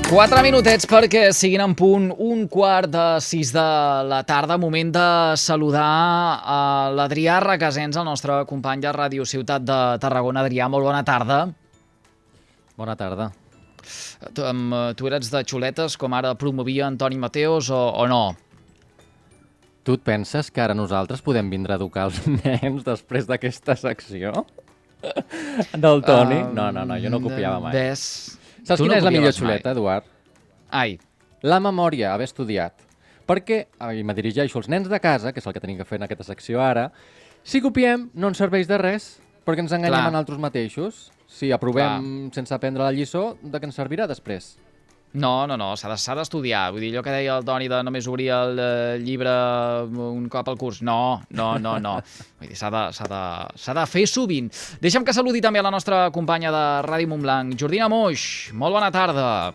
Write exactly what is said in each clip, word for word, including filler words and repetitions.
Quatre minutets perquè siguin en punt un quart de sis de la tarda. Moment de saludar a l'Adrià Requesens, el nostre company de Ràdio Ciutat de Tarragona. Adrià, molt bona tarda. Bona tarda. Tu, um, tu eres de xuletes, com ara promovia Antoni Mateos, o, o no? Tu et penses que ara nosaltres podem vindre a educar els nens després d'aquesta secció? Del Toni? Um, no, no, no, jo no copiava mai. Ves... Saps tu quina no és la millor copiaves xuleta, mai. Eduard? Ai. La memòria, haver estudiat. Perquè, i me dirigeixo als nens de casa, que és el que tenim que fer en aquesta secció ara, si copiem no ens serveix de res, perquè ens enganyem Clar. a nosaltres mateixos. Si aprovem Clar. sense aprendre la lliçó, de què ens servirà després? No, no, no, s'ha de- s'ha d'estudiar. Vull dir, allò que deia el Toni de només obrir el eh, llibre un cop al curs. No, no, no, no. Vull dir, s'ha de, s'ha de, s'ha de fer sovint. Deixa'm que saludi també a la nostra companya de Ràdio Montblanc, Jordina Moix. Molt bona tarda.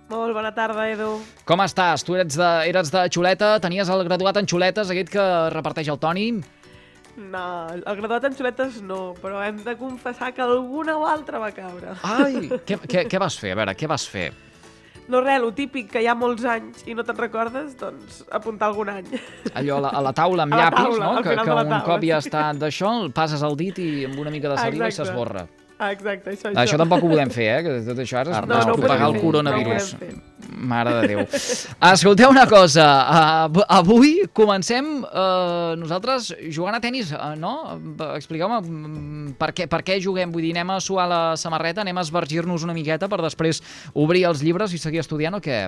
Molt bona tarda, Edu. Com estàs? Tu eres de, eres de xuleta, tenies el graduat en xuletes, aquest que reparteix el Toni? No, el graduat en xuletes no, però hem de confessar que alguna o altra va caure. Ai, què, què, què vas fer? A veure, què vas fer? No res, lo típic, que hi ha molts anys i no te'n recordes, doncs apuntar algun any. Allò a la, a la taula amb A la llapis, taula, no? al Que, final que de la un taula, cop ja sí. està d'això, el passes el dit i amb una mica de saliva i Exacte. s'esborra. Ah, exacte, això, Això això. tampoc ho podem fer, eh? Que tot això ara és No, no, no ho propagar el podem fer, coronavirus. no ho podem Mare de Déu. Escolteu una cosa, uh, avui comencem uh, nosaltres jugant a tenis, uh, no? Expliqueu-me mm, per què, per què juguem, vull dir, anem a suar la samarreta, anem a esvergir-nos una miqueta per després obrir els llibres i seguir estudiant o què?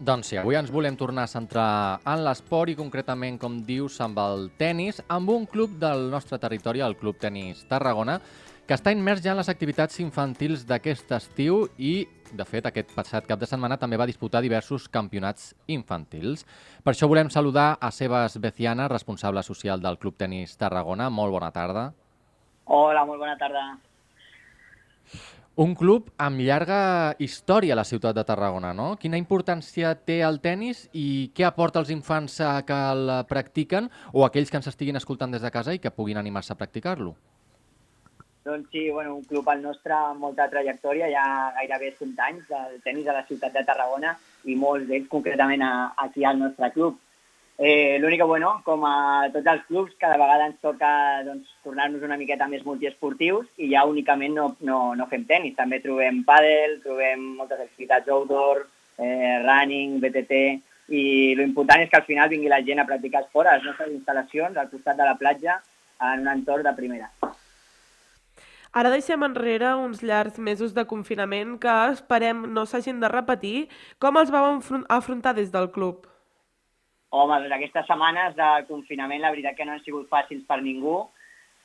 Doncs sí, avui ens volem tornar a centrar en l'esport i concretament, com dius, amb el tennis, amb un club del nostre territori, el Club Tenis Tarragona, que està immers ja en les activitats infantils d'aquest estiu i, de fet, aquest passat cap de setmana també va disputar diversos campionats infantils. Per això volem saludar a Sebas Beciana, responsable social del Club Tenis Tarragona. Molt bona tarda. Hola, molt bona tarda. Un club amb llarga història a la ciutat de Tarragona, no? Quina importància té el tennis i què aporta als infants a que el practiquen o aquells que ens estiguin escoltant des de casa i que puguin animar-se a practicar-lo? Doncs sí, bueno, un club al nostre amb molta trajectòria, ja gairebé cent anys del tennis a la ciutat de Tarragona i molts d'ells concretament a, aquí al nostre club. Eh, L'únic que, bueno, com a tots els clubs, cada vegada ens toca doncs, tornar-nos una miqueta més multiesportius i ja únicament no, no, no fem tenis. També trobem pàdel, trobem moltes activitats outdoor, eh, running, B T T, i l'important és que al final vingui la gent a practicar esport a les nostres instal·lacions al costat de la platja en un entorn de primera. Ara deixem enrere uns llargs mesos de confinament que esperem no s'hagin de repetir. Com els vau enfron- afrontar des del club? Home, doncs aquestes setmanes de confinament la veritat que no han sigut fàcils per ningú.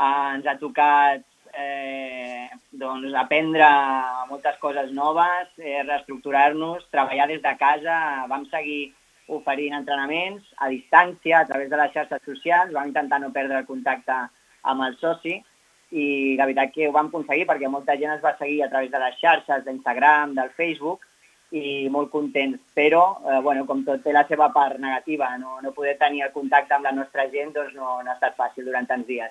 Eh, ens ha tocat eh, doncs, aprendre moltes coses noves, eh, reestructurar-nos, treballar des de casa. Vam seguir oferint entrenaments a distància a través de les xarxes socials, vam intentar no perdre el contacte amb el soci i la veritat que ho vam aconseguir perquè molta gent es va seguir a través de les xarxes d'Instagram, del Facebook, i molt contents, però eh, bueno, com tot té la seva part negativa, no, no poder tenir el contacte amb la nostra gent doncs no, no ha estat fàcil durant tants dies.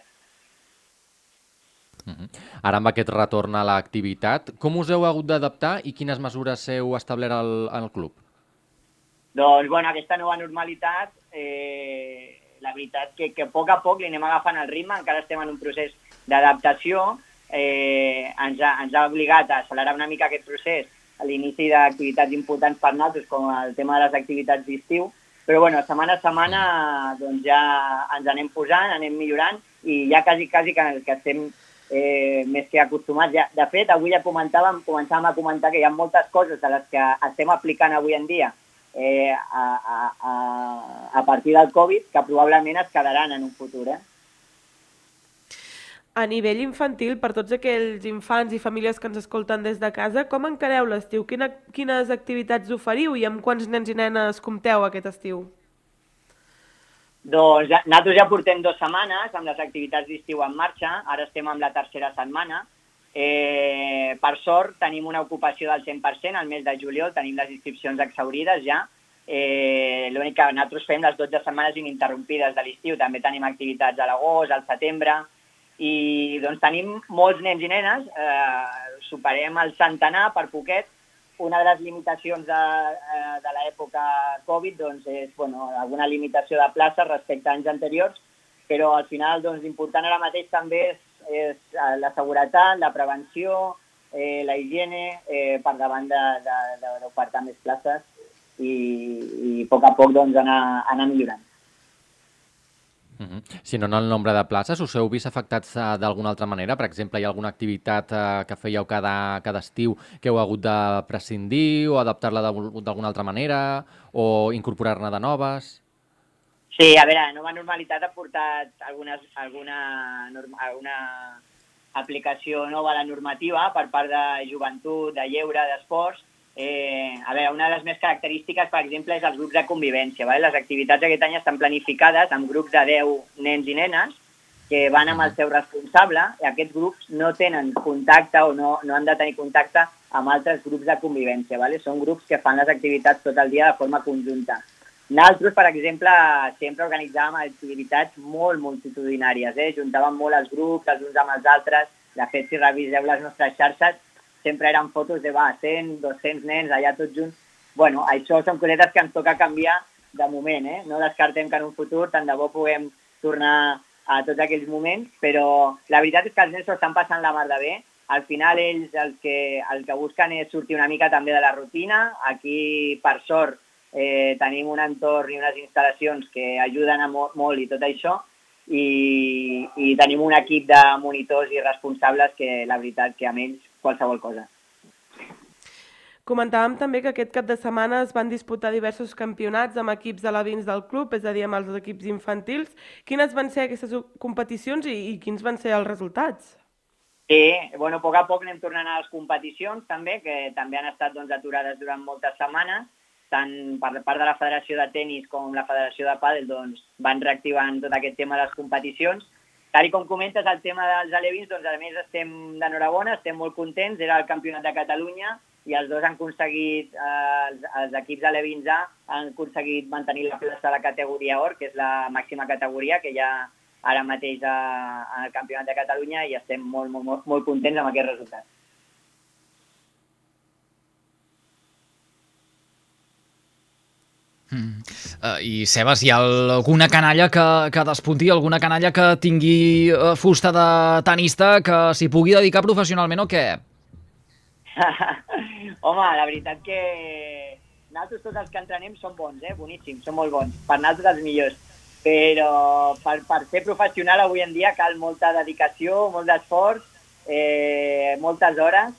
Uh-huh. Ara amb aquest retorn a l'activitat, com us heu hagut d'adaptar i quines mesures heu establert al, al club? Doncs bueno, aquesta nova normalitat, eh, la veritat que, que a poc a poc li anem agafant el ritme, encara estem en un procés d'adaptació, eh, ens, ha, ens ha obligat a accelerar una mica aquest procés a l'inici d'activitats importants per nosaltres, com el tema de les activitats d'estiu, però bueno, setmana a setmana doncs ja ens anem posant, anem millorant i ja quasi, quasi que, que estem eh, més que acostumats. Ja, de fet, avui ja comentàvem, començàvem a comentar que hi ha moltes coses de les que estem aplicant avui en dia eh, a, a, a, a partir del Covid que probablement es quedaran en un futur, eh? A nivell infantil, per tots aquells infants i famílies que ens escolten des de casa, com encareu l'estiu? Quina, quines activitats oferiu i amb quants nens i nenes compteu aquest estiu? Doncs ja, nosaltres ja portem dues setmanes amb les activitats d'estiu en marxa, ara estem amb la tercera setmana. Eh, per sort tenim una ocupació del cent per cent al mes de juliol, tenim les inscripcions exhaurides ja. Eh, L'únic que nosaltres fem les dotze setmanes ininterrompides de l'estiu, també tenim activitats a l'agost, al setembre, i doncs tenim molts nens i nenes, eh, superem el centenar per poquet, una de les limitacions de, de l'època Covid doncs, és bueno, alguna limitació de places respecte a anys anteriors, però al final doncs, l'important ara mateix també és, és la seguretat, la prevenció, eh, la higiene, eh, per davant d'ofertar més places i, i a poc a poc doncs, anar, anar millorant. Uh -huh. Si no en el nombre de places, us heu vist afectats uh, d'alguna altra manera? Per exemple, hi ha alguna activitat uh, que fèieu cada, cada estiu que heu hagut de prescindir o adaptar-la d'alguna altra manera o incorporar-ne de noves? Sí, a veure, la nova normalitat ha portat algunes, alguna, alguna aplicació nova a la normativa per part de joventut, de lleure, d'esports. Eh, a veure, una de les més característiques, per exemple, és els grups de convivència. Vale? Les activitats aquest any estan planificades amb grups de deu nens i nenes que van amb el seu responsable i aquests grups no tenen contacte o no, no han de tenir contacte amb altres grups de convivència. Vale? Són grups que fan les activitats tot el dia de forma conjunta. Nosaltres, per exemple, sempre organitzàvem activitats molt multitudinàries. Eh? Juntàvem molt els grups, els uns amb els altres. De fet, si reviseu les nostres xarxes, sempre eren fotos de va, cent, dos-cents nens allà tots junts. Bueno, això són cosetes que ens toca canviar de moment, eh? No descartem que en un futur tant de bo puguem tornar a tots aquells moments, però la veritat és que els nens s'ho estan passant la mar de bé. Al final ells el que, el que busquen és sortir una mica també de la rutina. Aquí, per sort, eh, tenim un entorn i unes instal·lacions que ajuden a molt, molt i tot això, i, i tenim un equip de monitors i responsables que la veritat que amb ells qualsevol cosa. Comentàvem també que aquest cap de setmana es van disputar diversos campionats amb equips alevins del club, és a dir, amb els equips infantils. Quines van ser aquestes competicions i, i quins van ser els resultats? Sí, bueno, a poc a poc anem tornant a les competicions també, que també han estat doncs, aturades durant moltes setmanes. Tant per part de la Federació de Tenis com la Federació de Pàdel doncs, van reactivant tot aquest tema de les competicions. Tal com comentes, el tema dels alevins, doncs a més estem d'enhorabona, estem molt contents, era el Campionat de Catalunya i els dos han aconseguit, eh, els, els equips alevins A han aconseguit mantenir la plaça de la categoria Or, que és la màxima categoria que hi ha ara mateix al Campionat de Catalunya i estem molt, molt, molt, molt contents amb aquest resultat. Mm. Uh, I Sebas, hi ha alguna canalla que, que despunti, alguna canalla que tingui uh, fusta de tenista que s'hi pugui dedicar professionalment o què? Home, la veritat que nosaltres tots els que entrenem són bons, eh? Boníssims, són molt bons, per nosaltres els millors, però per, per ser professional avui en dia cal molta dedicació, molt d'esforç, eh, moltes hores,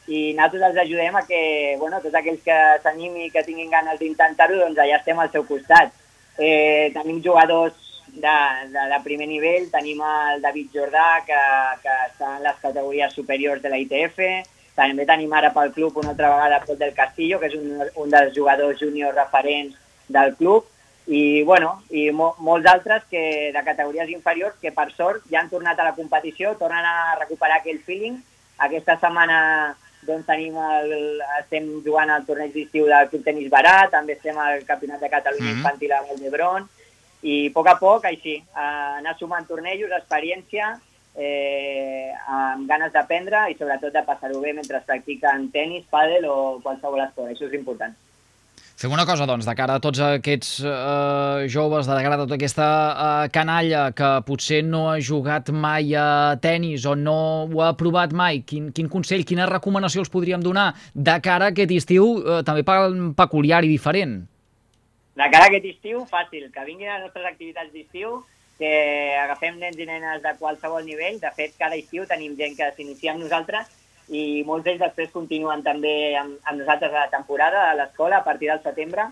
i nosaltres els ajudem a que, bueno, tots aquells que s'animin i que tinguin ganes d'intentar-ho, doncs allà estem al seu costat. Eh, tenim jugadors de, de, de primer nivell, tenim el David Jordà, que, que està en les categories superiors de la I T F, també tenim ara pel club una altra vegada Pol del Castillo, que és un, un dels jugadors júniors referents del club, i, bueno, i mo, molts altres que, de categories inferiors que per sort ja han tornat a la competició, tornen a recuperar aquell feeling. Aquesta setmana doncs tenim el, estem jugant al torneig d'estiu del Club Tenis Barat, també estem al Campionat de Catalunya mm-hmm. Infantil a Vall d'Hebron, i a poc a poc, així, anar sumant tornejos, experiència, eh, amb ganes d'aprendre i sobretot de passar-ho bé mentre practiquen tenis, pàdel o qualsevol esport, això és important. Fem una cosa, doncs, de cara a tots aquests eh, joves, de cara a tota aquesta eh, canalla que potser no ha jugat mai a tennis o no ho ha provat mai, quin, quin consell, quina recomanació els podríem donar de cara a aquest estiu eh, també peculiar i diferent? De cara a aquest estiu, fàcil, que vinguin a les nostres activitats d'estiu, que agafem nens i nenes de qualsevol nivell. De fet, cada estiu tenim gent que s'inicia amb nosaltres i molts d'ells després continuen també amb, amb nosaltres a la temporada, a l'escola, a partir del setembre.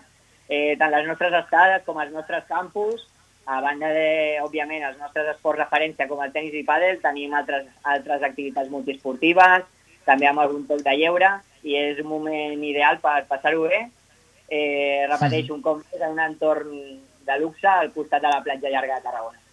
Eh, tant les nostres estades com els nostres campus, a banda de, òbviament, els nostres esports referència com el tenis i pàdel, tenim altres, altres activitats multiesportives, també amb algun toc de lleure, i és un moment ideal per passar-ho bé. Eh, repeteixo, un cop més en un entorn de luxe al costat de la platja llarga de Tarragona.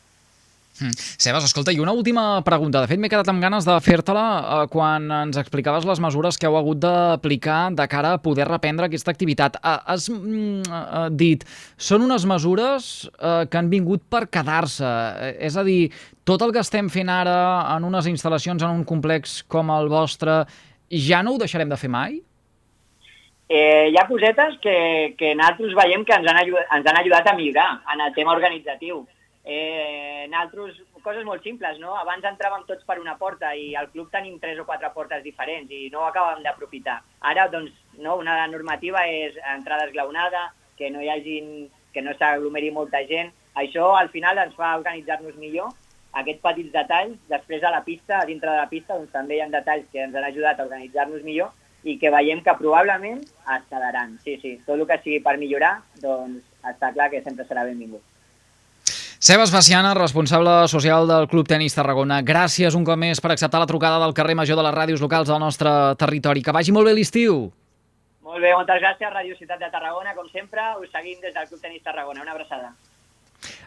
Mm. Sebas, escolta, i una última pregunta. De fet, m'he quedat amb ganes de fer-te-la eh, quan ens explicaves les mesures que heu hagut d'aplicar de cara a poder reprendre aquesta activitat. Eh, has mm, eh, dit, són unes mesures eh, que han vingut per quedar-se. Eh, és a dir, tot el que estem fent ara en unes instal·lacions, en un complex com el vostre, ja no ho deixarem de fer mai? Eh, hi ha cosetes que, que nosaltres veiem que ens han, ajudat, ens han ajudat a millorar en el tema organitzatiu. Eh, nosaltres, coses molt simples, no? Abans entràvem tots per una porta i al club tenim tres o quatre portes diferents i no ho acabàvem d'aprofitar. Ara, doncs, no, una normativa és entrada esglaonada, que no hi hagin, que no s'aglomeri molta gent. Això, al final, ens fa organitzar-nos millor. Aquests petits detalls, després a la pista, a dintre de la pista, doncs també hi ha detalls que ens han ajudat a organitzar-nos millor i que veiem que probablement es quedaran. Sí, sí, tot el que sigui per millorar, doncs està clar que sempre serà benvingut. Seba Espaciana, responsable social del Club Tenis Tarragona, gràcies un cop més per acceptar la trucada del carrer Major de les ràdios locals del nostre territori. Que vagi molt bé l'estiu. Molt bé, moltes gràcies, Ràdio Ciutat de Tarragona, com sempre, us seguim des del Club Tenis Tarragona. Una abraçada.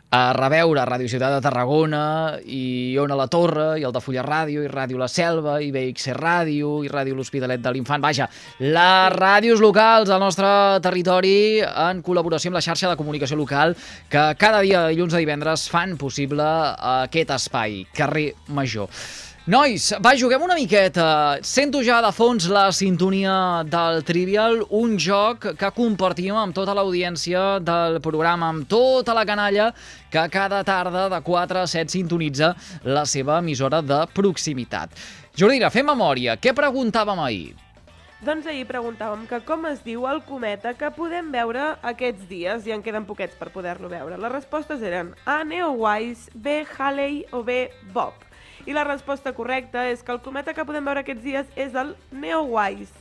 A reveure Ràdio Ciutat de Tarragona i Ona la Torre i Altafulla Ràdio i Ràdio La Selva i B X C Ràdio i Ràdio L'Hospitalet de l'Infant. Vaja, les ràdios locals del nostre territori en col·laboració amb la xarxa de comunicació local que cada dia de dilluns a divendres fan possible aquest espai, carrer Major. Nois, va, juguem una miqueta. Sento ja de fons la sintonia del Trivial, un joc que compartim amb tota l'audiència del programa, amb tota la canalla que cada tarda de quatre a set sintonitza la seva emissora de proximitat. Jordina, fem memòria. Què preguntàvem ahir? Doncs ahir preguntàvem que com es diu el cometa que podem veure aquests dies i en queden poquets per poder-lo veure. Les respostes eren A, Neowise, B, Halley o B, Bob. I la resposta correcta és que el cometa que podem veure aquests dies és el Neowise.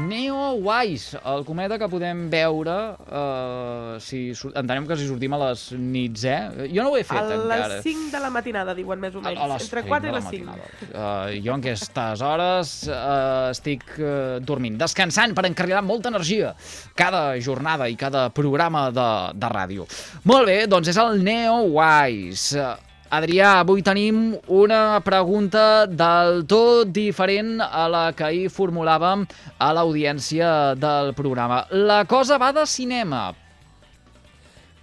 Neowise, el cometa que podem veure, eh, si, entenem que si sortim a les nits, eh? Jo no ho he fet a encara. A les cinc de la matinada, diuen més o menys. A les Entre quatre i les cinc. Uh, jo en aquestes hores uh, estic uh, dormint, descansant per encarregar molta energia cada jornada i cada programa de, de ràdio. Molt bé, doncs és el Neowise. Adrià, avui tenim una pregunta del tot diferent a la que ahir formulàvem a l'audiència del programa. La cosa va de cinema.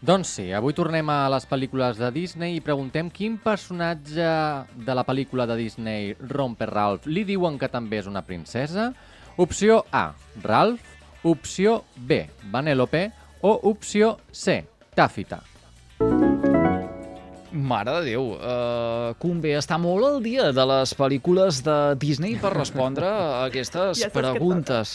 Doncs sí, avui tornem a les pel·lícules de Disney i preguntem quin personatge de la pel·lícula de Disney Romper Ralph li diuen que també és una princesa? Opció A, Ralph. Opció B, Vanellope. O opció C, Taffeta. Mare de Déu, uh, convé estar molt al dia de les pel·lícules de Disney per respondre a aquestes ja preguntes.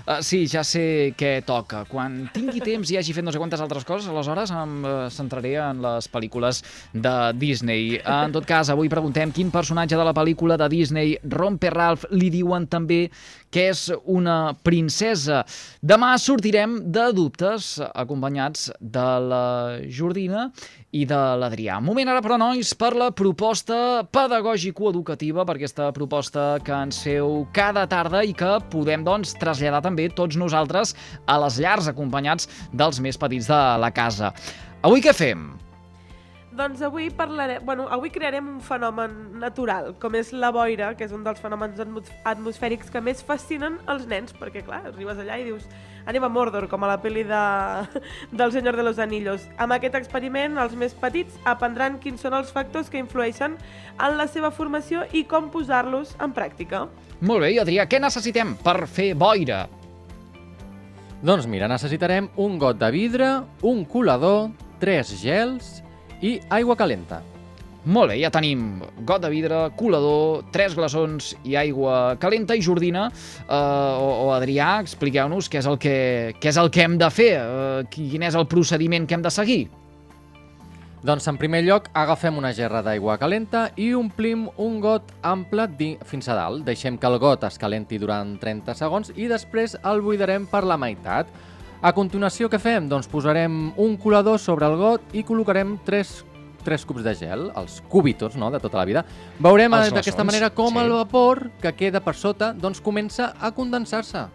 Uh, sí, ja sé què toca. Quan tingui temps i hagi fet no sé quantes altres coses, aleshores em uh, centraré en les pel·lícules de Disney. Uh, en tot cas, avui preguntem quin personatge de la pel·lícula de Disney Romper Ralph li diuen també que és una princesa. Demà sortirem de dubtes acompanyats de la Jordina i de l'Adrià. Moment ara, però, nois, per la proposta pedagògico-educativa, per aquesta proposta que ens feu cada tarda i que podem, doncs, traslladar també tots nosaltres a les llars, acompanyats dels més petits de la casa. Avui què fem? Doncs avui parlarem, bueno, avui crearem un fenomen natural, com és la boira, que és un dels fenòmens atmosfèrics que més fascinen els nens, perquè clar, arribes allà i dius anem a Mordor, com a la pel·li de, del Senyor de los Anillos. Amb aquest experiment, els més petits aprendran quins són els factors que influeixen en la seva formació i com posar-los en pràctica. Molt bé, i Adrià, què necessitem per fer boira? Doncs mira, necessitarem un got de vidre, un colador, tres gels i aigua calenta. Molt bé, ja tenim got de vidre, colador, tres glaçons i aigua calenta. I Jordina eh, o, o Adrià, expliqueu-nos què és el que, què és el que hem de fer, eh, quin és el procediment que hem de seguir. Doncs en primer lloc agafem una gerra d'aigua calenta i omplim un got ample fins a dalt. Deixem que el got es calenti durant trenta segons i després el buidarem per la meitat. A continuació, què fem? Doncs posarem un colador sobre el got i col·locarem tres, tres cubs de gel, els cubitos, no?, de tota la vida. Veurem d'aquesta manera com sí. el vapor que queda per sota doncs comença a condensar-se.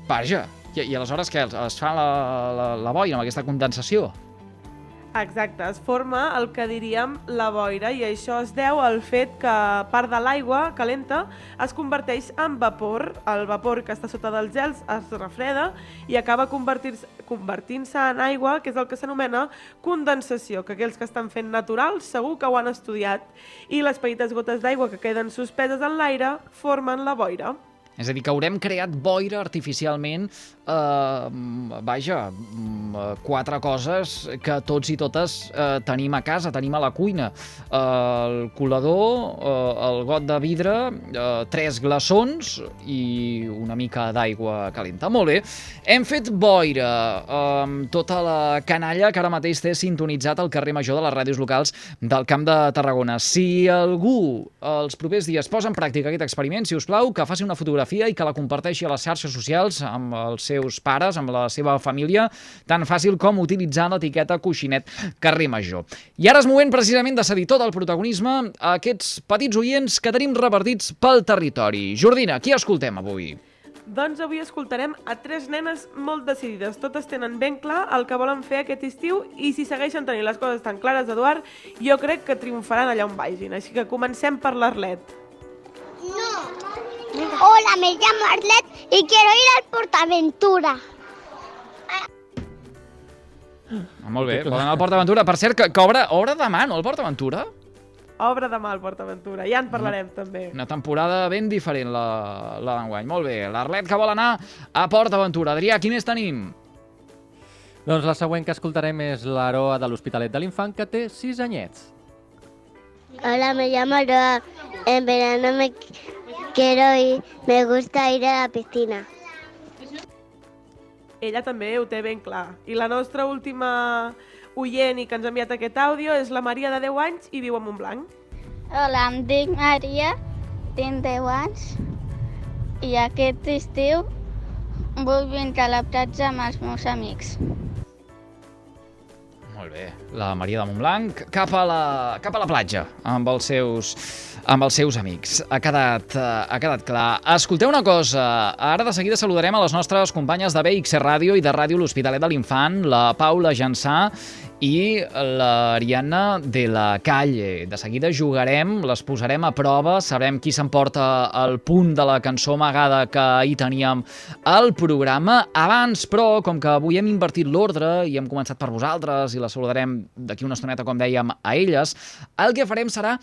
Vaja, i, i aleshores què? Es fa la, la, la boira amb aquesta condensació? Exacte, es forma el que diríem la boira i això es deu al fet que part de l'aigua calenta es converteix en vapor. El vapor que està sota dels gels es refreda i acaba convertir-se convertint-se en aigua, que és el que s'anomena condensació, que aquells que estan fent natural segur que ho han estudiat, i les petites gotes d'aigua que queden suspeses en l'aire formen la boira. És a dir, que haurem creat boira artificialment, eh, vaja, quatre coses que tots i totes eh, tenim a casa, tenim a la cuina. Eh, el colador, eh, el got de vidre, eh, tres glaçons i una mica d'aigua calenta. Molt bé, hem fet boira amb eh, tota la canalla que ara mateix té sintonitzat al carrer Major de les ràdios locals del Camp de Tarragona. Si algú els propers dies posa en pràctica aquest experiment, si us plau, que faci una fotografia i que la comparteixi a les xarxes socials amb els seus pares, amb la seva família, tan fàcil com utilitzant l'etiqueta Coixinet Carrer Major. I ara és moment precisament de cedir tot el protagonisme a aquests petits oients que tenim repartits pel territori. Jordina, qui escoltem avui? Doncs avui escoltarem a tres nenes molt decidides. Totes tenen ben clar el que volen fer aquest estiu i si segueixen tenint les coses tan clares, Eduard, jo crec que triomfaran allà on vagin. Així que comencem per l'Arlet. No. Hola, me llamo Arlet y quiero ir al PortAventura. Ah, molt bé, volen anar al PortAventura. Per cert, que, que obre, obre demà, no, el PortAventura? Obre demà al PortAventura, ja en parlarem no. també. Una temporada ben diferent, la, la d'enguany. Molt bé, l'Arlet que vol anar a PortAventura. Adrià, qui més tenim? Doncs la següent que escoltarem és l'Aroa de l'Hospitalet de l'Infant, que té sis anyets. Hola, me llamo Aroa. En verano me quiero ir, me gusta ir a la piscina. Ella també ho té ben clar. I la nostra última oient i que ens ha enviat aquest àudio és la Maria, de deu anys, i viu a Montblanc. Hola, em dic Maria, tinc deu anys, i aquest estiu vull vindre a la platja amb els meus amics. Molt bé, la Maria de Montblanc cap a la, cap a la platja amb els seus, amb els seus amics. Ha quedat, ha quedat clar. Escolteu una cosa, ara de seguida saludarem a les nostres companyes de B X Ràdio i de Ràdio L'Hospitalet de l'Infant, la Paula Jansà i l'Ariadna de la Calle. De seguida jugarem, les posarem a prova, sabrem qui s'emporta el punt de la cançó amagada que ahir teníem al programa. Abans, però, com que avui hem invertit l'ordre i hem començat per vosaltres i la saludarem d'aquí una estoneta, com dèiem, a elles, el que farem serà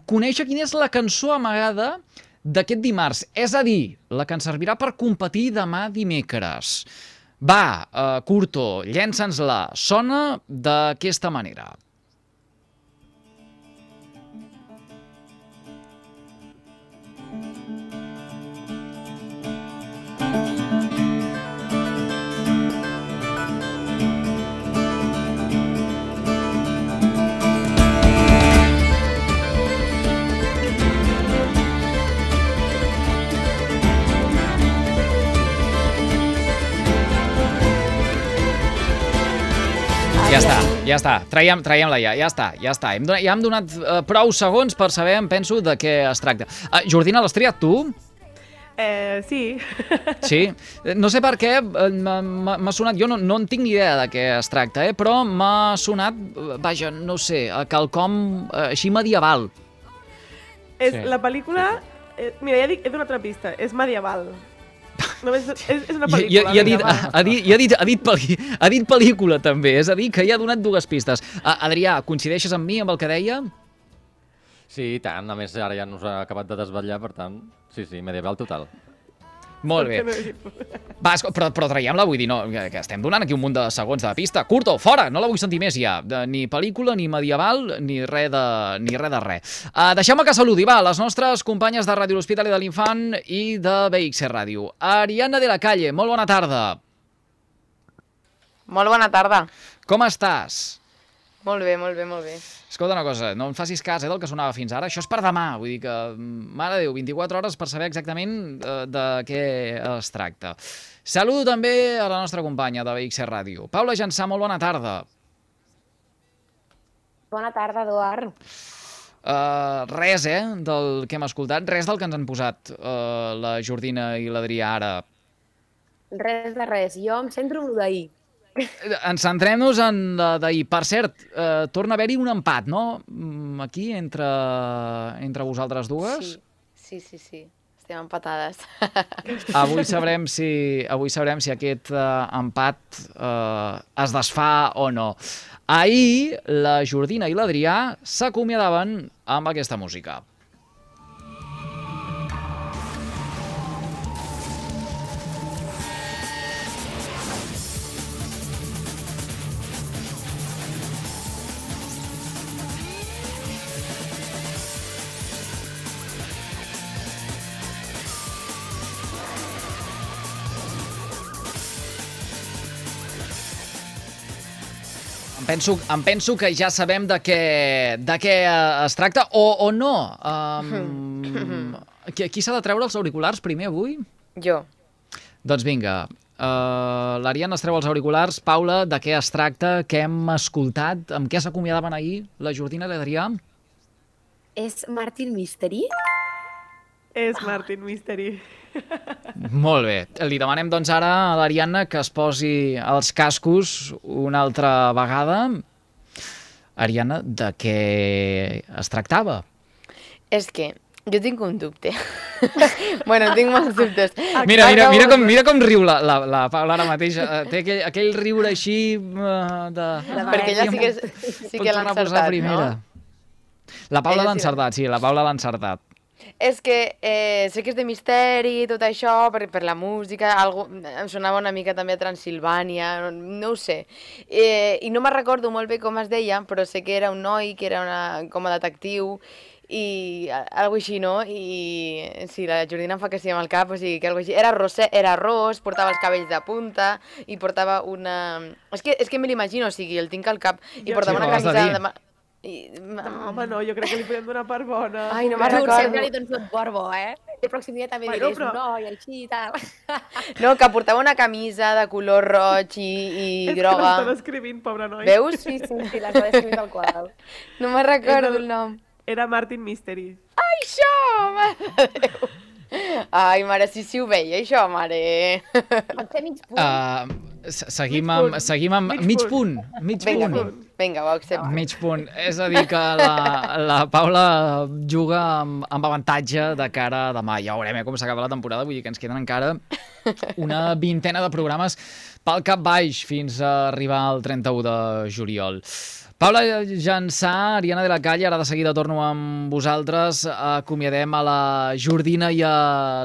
conèixer quina és la cançó amagada d'aquest dimarts. És a dir, la que ens servirà per competir demà dimecres. Va, uh, Curto, llença'ns-la. Sona d'aquesta manera. Ja està, ja està. Traiem, traiem-la ja, ja està, ja està. Hem donat, ja hem donat uh, prou segons per saber, em penso, de què es tracta. Uh, Jordina, l'has triat tu? Eh, sí. Sí? No sé per què m'ha sonat, jo no, no en tinc ni idea de què es tracta, eh? Però m'ha sonat, vaja, no sé, quelcom uh, així medieval. És Sí. la pel·lícula... Eh, mira, ja dic, he donat una pista, és medieval. Només és, és una I, pel·lícula. i, i, ha, dit, medieval. ha, dit, i ha, dit, ha, dit pel·li, ha dit pel·lícula també, és a dir, que ja ha donat dues pistes. Uh, Adrià, coincideixes amb mi amb el que deia? Sí, i tant. A més, ara ja nos ha acabat de desvetllar, per tant, sí, sí, medieval total. Molt bé. Va, esco- però, però traiem-la, vull dir, no, que, que estem donant aquí un munt de segons de pista. Curto, fora, no la vull sentir més ja. De, ni pel·lícula, ni medieval, ni res de, ni res de res. Uh, Deixeu-me que saludi, va, les nostres companyes de Ràdio L'Hospitalet de l'Infant i de B X Ràdio. Ariadna de la Calle, molt bona tarda. Molt bona tarda. Com estàs? Molt bé, molt bé, molt bé. Escolta una cosa, no em facis cas eh, del que sonava fins ara. Això és per demà, vull dir que, mare de Déu, vint-i-quatre hores per saber exactament eh, de què es tracta. Saludo també a la nostra companya de B X Ràdio. Paula Jansà, molt bona tarda. Bona tarda, Eduard. Uh, res, eh, del que hem escoltat, res del que ens han posat uh, la Jordina i l'Adrià ara. Res de res. Jo em centro en d'ahir. Ens centrem-nos en la d'ahir. Per cert, uh, torna a haver-hi un empat, no? Mm, Aquí, entre, entre vosaltres dues. Sí, sí, sí, sí. Estem empatades. Avui sabrem si, avui sabrem si aquest uh, empat uh, es desfà o no. Ahir, la Jordina i l'Adrià s'acomiadaven amb aquesta música. Em penso, em penso que ja sabem de què, de què es tracta, o, o no. Um, qui qui s'ha de treure els auriculars primer avui? Jo. Doncs vinga, uh, l'Ariadna es treu els auriculars. Paula, de què es tracta? Què hem escoltat? Amb què s'acomiadaven ahir la Jordina i l'Adrià? És Martin Mystery? És Martin Mystery. Molt bé. Li demanem doncs ara a l'Ariadna que es posi els cascos una altra vegada. Ariadna, de què es tractava? És que jo tinc un dubte. Bueno, tinc molts dubtes. Mira, mira, mira, com, mira com riu la, la, la Paula ara mateix. Eh, Té aquell, aquell riure així uh, de... Perquè ella sí que, sí que l'ha encertat, no? La Paula Ella l'ha sí encertat, sí, la Paula l'ha encertat. És que eh, sé que és de misteri, tot això, per, per la música, algo, em sonava una mica també a Transilvània, no, no ho sé. Eh, I no me'n recordo molt bé com es deia, però sé que era un noi, que era una, com a detectiu, i algo així, no? I sí, la Jordina em fa que sí amb el cap, o sigui, que algo així. Era, rosé, era ros, portava els cabells de punta, i portava una... És que, és que me l'imagino, o sigui, el tinc al cap, i Jo portava sí, una ho has de camisa... dir. De... I... No, home, no, jo crec que li podem donar per bona. Ai, no me'n Tu recordo. sempre li dones tot por bo, eh? El pròxim dia també Bueno, diràs però- un noi així i tal. No, que portava una camisa de color roig i, i És groga. que l'està descrivint, pobre noi. Veus? Sí, sí, sí, l'està descrivint tal qual. No me'n recordo És el nom. Era Martin Mystery. Ai, això, mare de Déu. Ai, mare, sí, sí ho veia, això, mare. Pot ser mig punt. Uh, seguim Mig amb, punt. seguim amb Mig mig punt. punt. Mig Vinga, punt. vinga, ho accepto. Mig punt. És a dir, que la, la Paula juga amb, amb avantatge de cara a demà. Ja veurem eh, com s'acaba la temporada, vull dir que ens queden encara una vintena de programes pel cap baix fins a arribar al trenta-u de juliol. Paula Jansà, Ariadna de la Calle, ara de seguida torno amb vosaltres. Acomiadem a la Jordina i a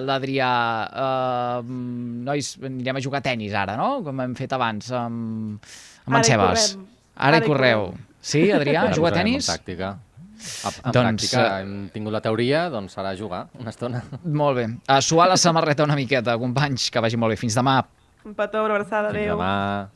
l'Adrià. Uh, nois, anirem a jugar a tennis ara, no? Com hem fet abans amb, amb Ara en hi Sebas. correm. Ara Ara hi hi correu. correm. Sí, Adrià, Ara juga a posarem tennis? En pràctica. En, en Doncs, pràctica eh, hem tingut la teoria, doncs serà jugar una estona. Molt bé. A suar la samarreta una miqueta, companys, que vagi molt bé. Fins demà. Un petó, una abraçada, Fins adéu. demà.